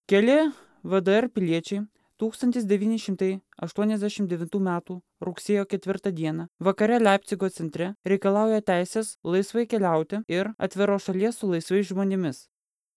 Keli VDR piliečiai 1989 m. rugsėjo 4 d. vakare Leipcigo centre reikalauja teisės laisvai keliauti ir atviros šalies su laisvais žmonėmis.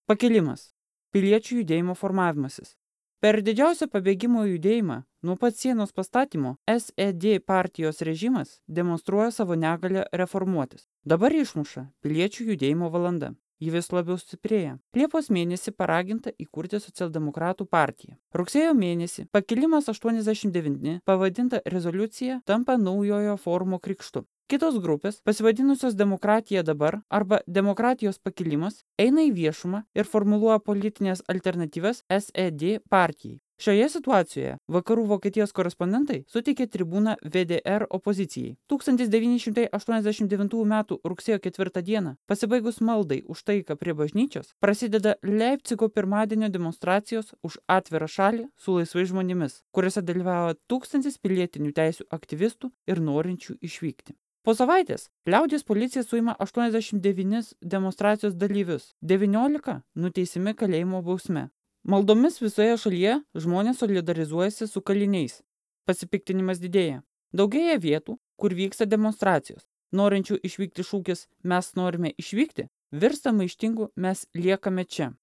Pakilimas. Piliečių judėjimo formavimasis. Per didžiausią pabėgimo judėjimą nuo pat sienos pastatymo SED partijos režimas demonstruoja savo negalę reformuotis. Dabar išmuša piliečių judėjimo valanda. Ji vis labiau stiprėja. Liepos mėnesį paraginta įkurti socialdemokratų partiją. Rugsėjo mėnesį pakilimas 89 pavadinta rezoliucija tampa naujojo forumo krikštu. Kitos grupės, pasivadinusios Demokratija dabar arba Demokratijos pakilimas, eina į viešumą ir formuluoja politinės alternatyvas SED partijai. Šioje situacijoje vakarų Vokietijos korespondentai suteikė tribūną VDR opozicijai. 1989 m. rugsėjo 4 d. pasibaigus maldai už taiką prie bažnyčios, prasideda Leipcigo pirmadienio demonstracijos už atvirą šalį su laisvais žmonėmis, kuriuose dalyvavo 1000 pilietinių teisių aktyvistų ir norinčių išvykti. Po savaitės liaudies policija suima 89 demonstracijos dalyvius, 19 nuteisimi kalėjimo bausme. Maldomis visoje šalyje žmonės solidarizuojasi su kaliniais. Pasipiktinimas didėja. Daugėja vietų, kur vyksta demonstracijos. Norinčių išvykti šūkis "Mes norime išvykti" virsta maištingu "Mes liekame čia".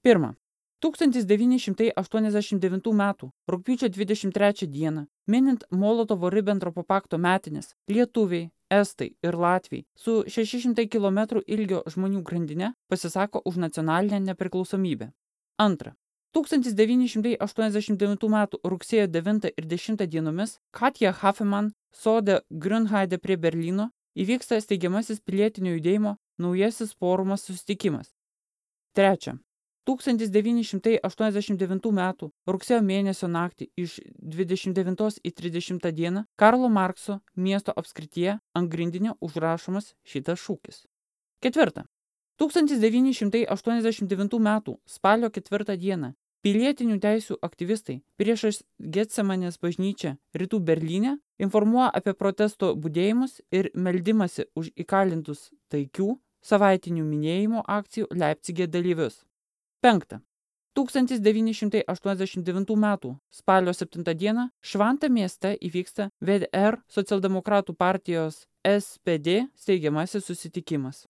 1. 1989 m. rugpjūčio 23 d. minint Molotovo-Ribentropo pakto metines, lietuviai, estai ir latviai su 600 km ilgio žmonių grandine pasisako už nacionalinę nepriklausomybę. 2. 1989 m. rugsėjo 9 ir 10 dienomis Katja Hafeman sode Grünheide prie Berlyno įvyksta steigiamasis pilietinio judėjimo naujasis forumas susitikimas. 3. 1989 m. rugsėjo mėnesio naktį iš 29 į 30 dieną Karlo Markso miesto apskrityje ant grindinio užrašomas šitas šūkis. 4. 1989 m. spalio 4 d. pilietinių teisių aktyvistai priešais Getsemanės bažnyčią rytų Berlyne informuoja apie protesto budėjimus ir meldimąsi už įkalintus taikių savaitinių minėjimo akcijų Leipcige dalyvius. 5. 1989 m. spalio 7 d. Švanta mieste įvyksta VDR socialdemokratų partijos SPD steigiamasis susitikimas.